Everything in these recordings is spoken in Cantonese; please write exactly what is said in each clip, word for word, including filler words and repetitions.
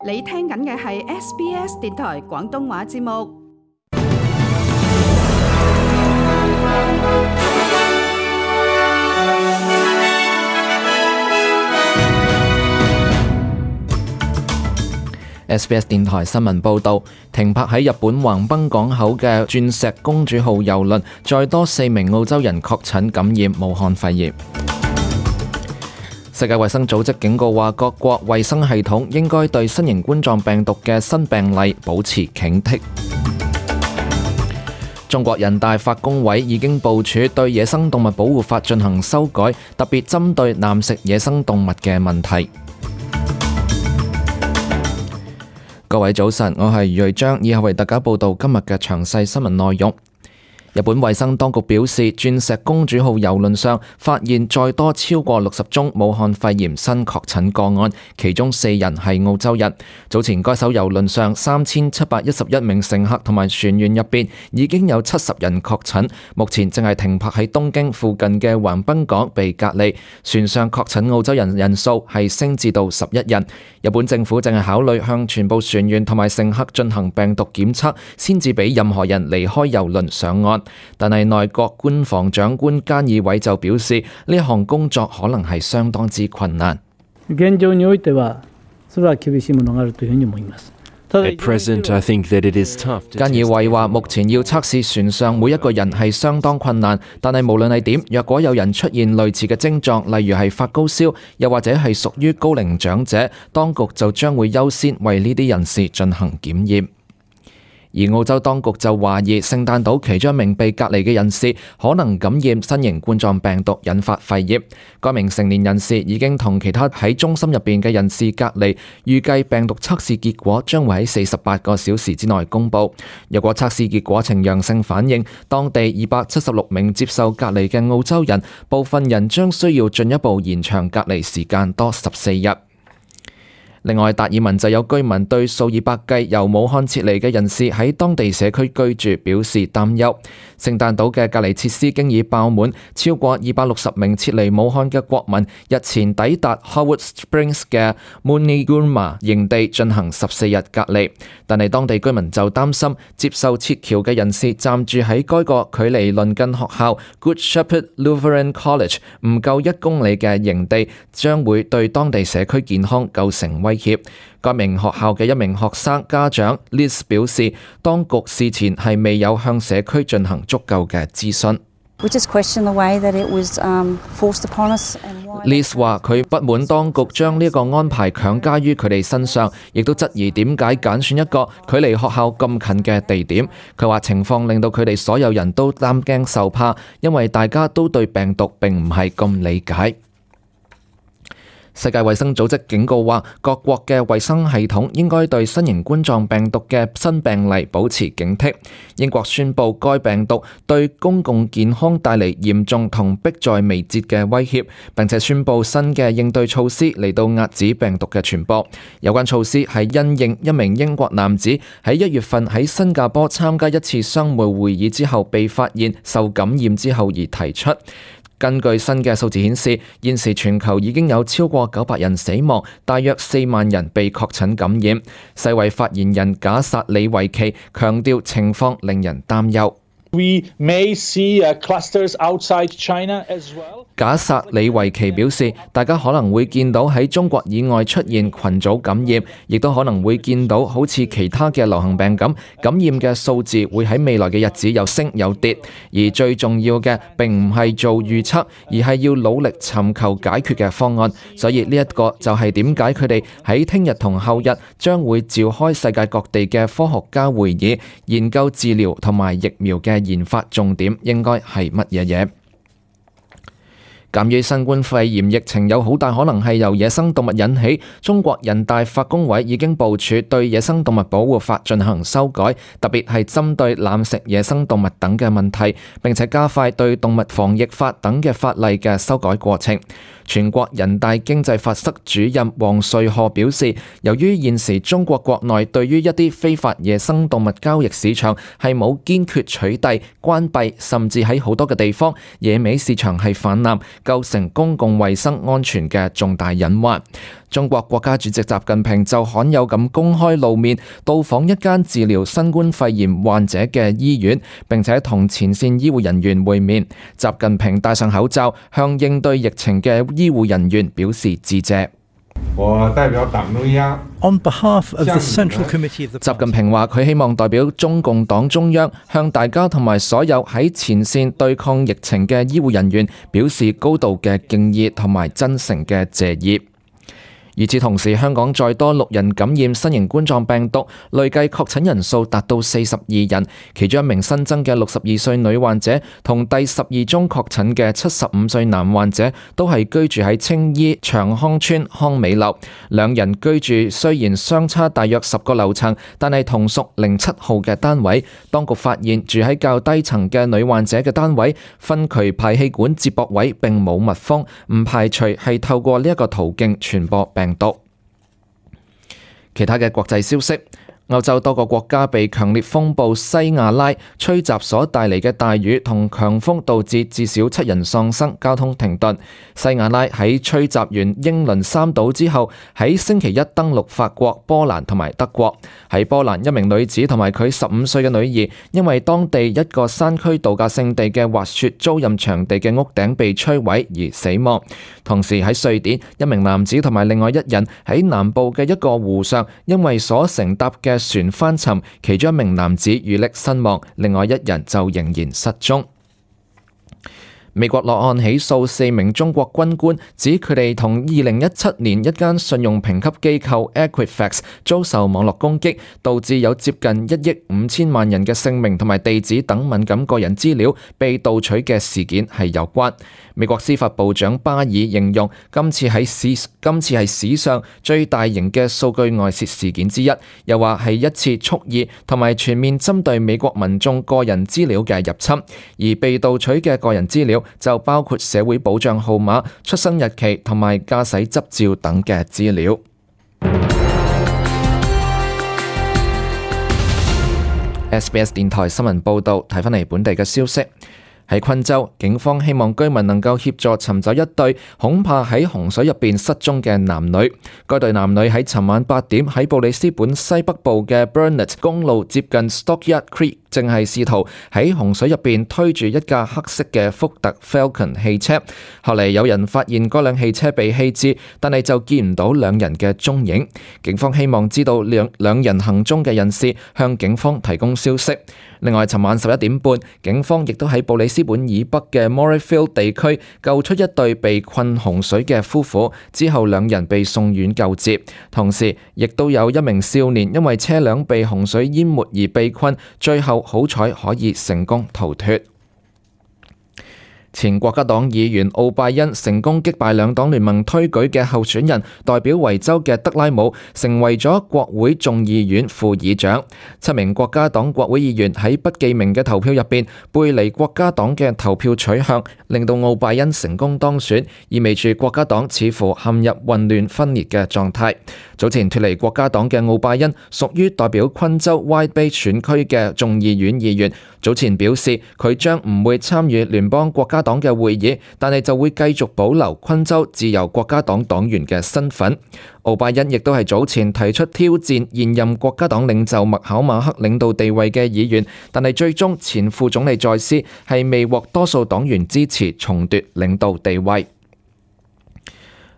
你聽緊嘅係 S B S 電台廣東話節目。S B S 電台新聞報導，停泊喺日本橫濱港口嘅鑽石公主號郵輪，再多四名澳洲人確診感染武漢肺炎。世界衛生組織警告話，各國衛生系統應該對新型冠狀病毒嘅新病例保持警惕。中國人大法工委已經部署對野生動物保護法進行修改，特別針對濫食野生動物嘅問題。各位早晨，我係余瑞章，以下為大家報道今日嘅詳細新聞內容。日本衛生當局表示，鑽石公主號郵輪上發現再多超過六十宗武漢肺炎新確診個案，其中四人係澳洲人。早前該艘郵輪上三千七百一十一名乘客同埋船員入邊已經有七十人確診，目前正係停泊喺東京附近嘅橫濱港被隔離。船上確診澳洲人人數係升至到十一人。日本政府正係考慮向全部船員同埋乘客進行病毒檢測，先至俾任何人離開郵輪上岸。但係內閣官房長官菅義偉就表示，呢一項工作可能係相當之困難。現狀においてはそれは厳しいものがあるというふうに思います。At present, I think that it is tough. 菅義偉話，目前要測試船上每一個人係相當困難，但係無論係點，若果有人出現類似嘅症狀，例如係發高燒，又或者係屬於高齡長者，當局就將會優先為呢啲人士進行檢驗。而澳洲當局就懷疑聖誕島其中一名被隔離嘅人士可能感染新型冠狀病毒，引發肺炎。該名成年人士已經同其他喺中心入邊嘅人士隔離，預計病毒測試結果將會喺四十八個小時之內公佈。若果測試結果呈陽性反應，當地二百七十六名接受隔離嘅澳洲人，部分人將需要進一步延長隔離時間多十四日。另外，達爾文就有居民對數以百計由武漢撤離嘅人士喺當地社區居住表示擔憂。聖誕島嘅隔離設施經已爆滿，超過二百六十名撤離武漢嘅國民日前抵達 Howard Springs 嘅 Munigurma 營地進行十四日隔離。但係當地居民就擔心，接受撤僑嘅人士暫住喺該個距離鄰近學校 Good Shepherd Lutheran College 唔夠一公里嘅營地，將會對當地社區健康構成威脅。該名學校嘅一名學生家長 Liz 表示，當局事前係未有向社區進行足夠嘅諮詢。Liz 話佢不滿當局將呢個安排強加於佢哋身上，亦都質疑點解揀選一個距離學校咁近嘅地點。佢話情況令到佢哋所有人都擔驚受怕，因為大家都對病毒並唔係咁理解。世界衛生組織警告話，各國嘅衛生系統應該對新型冠狀病毒嘅新病例保持警惕。英國宣布該病毒對公共健康帶嚟嚴重同迫在眉睫嘅威脅，並且宣布新嘅應對措施嚟到遏止病毒嘅傳播。有關措施係因應一名英國男子喺一月份喺新加坡參加一次商務會議之後被發現受感染之後而提出。根據新嘅數字顯示，現時全球已經有超過九百人死亡，大約四萬人被確診感染。世衛發言人賈薩里維奇強調情況令人擔憂。We may see clusters outside China as well. 賈薩里維奇表示，大家可能會見到喺中國以外出現群組感染，亦都可能會見到好似其他嘅流行病咁，感染嘅數字會喺未來嘅日子有升有跌。而最重要嘅並唔係做預測，而係要努力尋求解決嘅方案。所以呢一個就係點解佢哋喺聽日同後日將會召開世界各地嘅科學家會議，研究治療同埋疫苗嘅研發重點應該係乜嘢嘢。鑑於新冠肺炎疫情有好大可能係由野生動物引起，中國人大法工委已經部署對野生動物保護法進行修改，特別係針對濫食野生動物等嘅問題，並且加快對動物防疫法等嘅法例嘅修改過程。全國人大經濟法室主任王瑞賀表示，由於現時中國國內對於一啲非法野生動物交易市場係冇堅決取締、關閉，甚至喺好多嘅地方野味市場係泛濫，構成公共衛生安全嘅重大隱患。中國國家主席習近平就罕有咁公開露面，到訪一間治療新冠肺炎患者嘅醫院，並且同前線醫護人員會面。習近平戴上口罩，向應對疫情嘅醫護人員表示致謝。我代表黨中央 On behalf of the Central Committee of the Party， 習近平話：佢希望代表中共黨中央向大家同埋所有喺前線對抗疫情嘅醫護人員表示高度嘅敬意同埋真誠嘅謝意。與此同時，香港再多六人感染新型冠狀病毒，累計確診人數達到四十二人。其中一名新增嘅六十二歲女患者同第十二宗確診嘅七十五歲男患者都係居住喺青衣長康邨康美樓。兩人居住雖然相差大約十個樓層，但係同屬零七號嘅單位。當局發現住喺較低層嘅女患者嘅單位分渠排氣管接駁位並冇密封，唔排除係透過呢一個途徑傳播病毒。其他嘅國際消息，歐洲多個國家被強烈風暴西亞拉吹襲所帶嚟嘅大雨同強風導致至少七人喪生，交通停頓。西亞拉喺吹襲完英倫三島之後，喺星期一登陸法國、波蘭同埋德國。喺波蘭，一名女子同埋佢十五歲嘅女兒因為當地一個山區度假勝地嘅滑雪租賃場地嘅屋頂被摧毀而死亡。同時喺瑞典，一名男子同埋另外一人喺南部嘅一個湖上，因為所乘搭嘅船翻沉，其中一名男子遇溺身亡，另外一人就仍然失蹤。美國落案起訴四名中國軍官，指佢哋同二零一七年一間信用評級機構 Equifax 遭受網絡攻擊，導致有接近一億五千萬人嘅姓名同埋地址等敏感個人資料被盜取嘅事件係有關。美國司法部長巴爾形容今次喺史今次係史上最大型嘅數據外泄事件之一，又話係一次蓄意同埋全面針對美國民眾個人資料嘅入侵，而被盜取嘅個人資料就包括社會保障號碼、出生日期同埋駕駛執照等嘅資料。S B S 電台新聞報導，睇返嚟本地嘅消息。喺昆州，警方希望居民能夠協助尋找一對恐怕喺洪水入邊失蹤嘅男女。該對男女喺尋晚八點喺布里斯本西北部嘅 Burnett 公路接近 Stockyard Creek，正係試圖喺洪水入邊推住一架黑色嘅福特 Falcon 汽車。後嚟有人發現嗰輛汽車被棄置，但係就見唔到兩人嘅蹤影。警方希望知道兩兩人行蹤嘅人士向警方提供消息。另外，尋晚十一點半，警方亦都喺布里斯本以北嘅 Morayfield 地區救出一對被困洪水嘅夫婦，之後兩人被送院救治。同時，亦都有一名少年因為車輛被洪水淹沒而被困，最後好彩可以成功逃脫。前國家黨議員奧拜恩成功擊敗兩黨聯盟推舉嘅候選人，代表維州嘅德拉姆成為咗國會眾議院副議長。七名國家黨國會議員喺不記名嘅投票入邊背離國家黨嘅投票取向，令到奧拜恩成功當選，意味住國家黨似乎陷入混亂分裂嘅狀態。早前脫離國家黨嘅奧拜恩屬於代表昆州 Wide Bay 選區嘅眾議院議員，早前表示佢將唔會參與聯邦國家黨嘅會議，但係就會繼續保留昆州自由國家黨黨員嘅身份。奧拜恩亦都係早前提出挑戰現任國家黨領袖麥考馬克領導地位嘅議員，但係最終前副總理在斯係未獲多數黨員支持重奪領導地位。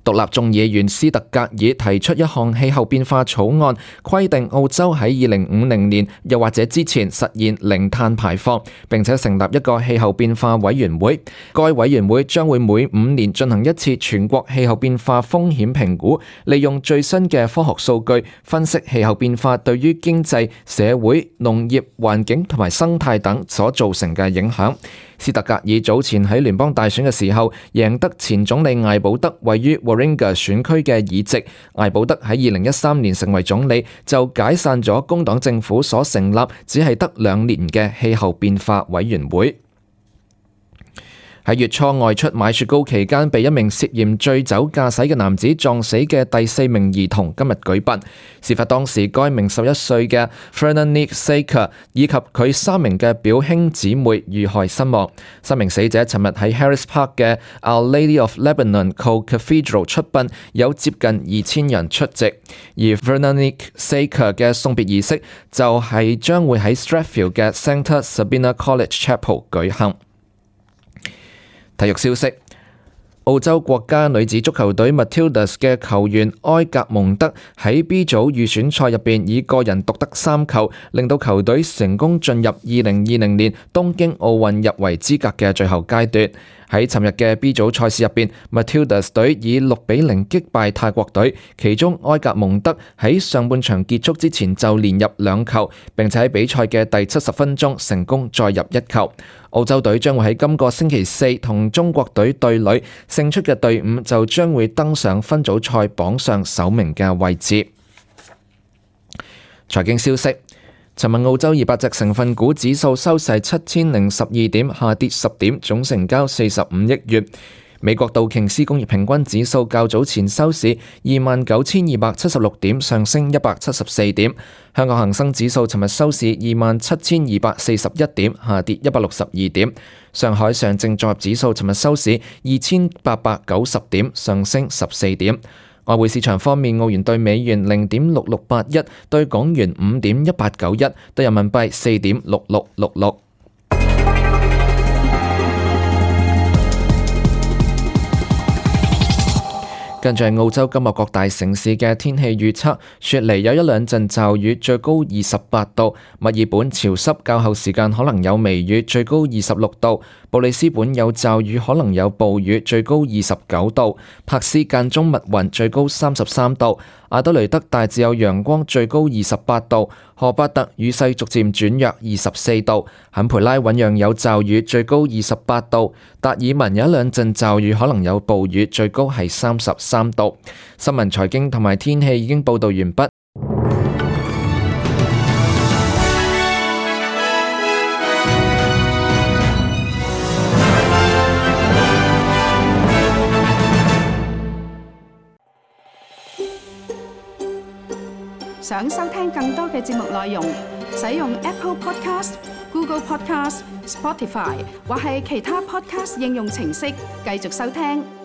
獨立眾議員斯特格爾提出一項氣候變化草案，規定澳洲喺二零五零年又或者之前實現零碳排放，並且成立一個氣候變化委員會。該委員會將會每五年進行一次全國氣候變化風險評估，利用最新嘅科學數據分析氣候變化對於經濟、社會、農業、環境同埋生態等所造成嘅影響。斯特格爾早前喺聯邦大選嘅時候贏得前總理艾保德位於 Warringah 選區嘅議席。艾保德喺二零一三年成為總理，就解散咗工黨政府所成立只係得兩年嘅氣候變化委員會。喺月初外出買雪糕期間被一名涉嫌醉酒駕駛嘅男子撞死嘅第四名兒童今日舉殯。事發當時，該名十一歲嘅 Veronique Saker 以及佢三名嘅表兄姊妹遇害身亡。三名死者尋日喺 Harris Park 嘅 Our Lady of Lebanon Co-Cathedral 出殯，有接近二千人出席。而 Veronique Saker 嘅送別儀式就係將會喺 Strathfield 嘅 Sancta Sabina College Chapel 舉行。體育消息：澳洲國家女子足球隊 Matildas 嘅球員埃格蒙德喺 B 組預選賽入邊以個人獨得三球，令到球隊成功進入二零二零年東京奧運入圍資格嘅最後階段。喺尋日嘅 B 組賽事入邊 ，Matildas 隊以六比零擊敗泰國隊，其中埃格蒙德喺上半場結束之前就連入兩球，並且喺比賽嘅第七十分鐘成功再入一球。澳洲隊將會喺今個星期四同中國隊對壘，勝出嘅隊伍就將會登上分組賽榜上首名嘅位置。財經消息。尋日澳洲二百隻成分股指數收市七千零十二點，下跌十點，總成交四十五億元。美國道瓊斯工業平均指數較早前收市二萬九千二百七十六點，上升一百七十四點。香港恒生指數尋日收市二萬七千二百四十一點，下跌一百六十二點。上海上證綜合指數尋日收市二千八百九十點，上升十四點。外匯市場方面，澳元對美元零點六六八一，對港元五點一八九一，對人民幣四點六六六六。跟住係澳洲今日各大城市嘅天氣預測：雪梨有一兩陣驟雨，最高二十八度；墨爾本潮濕，較後時間可能有微雨，最高二十六度；布里斯本有驟雨，可能有暴雨，最高二十九度；柏斯間中密雲，最高三十三度；阿德雷德大致有陽光，最高二十八度；荷巴特雨勢逐漸轉弱，二十四度；坎培拉醞釀有驟雨，最高二十八度；達爾文有一兩陣驟雨，可能有暴雨，最高係三十三度。新聞、財經同埋天氣已經報道完畢。想收聽更多嘅節目內容，使用 Apple Podcast、Google Podcast、Spotify 或係其他 Podcast 應用程式繼續收聽。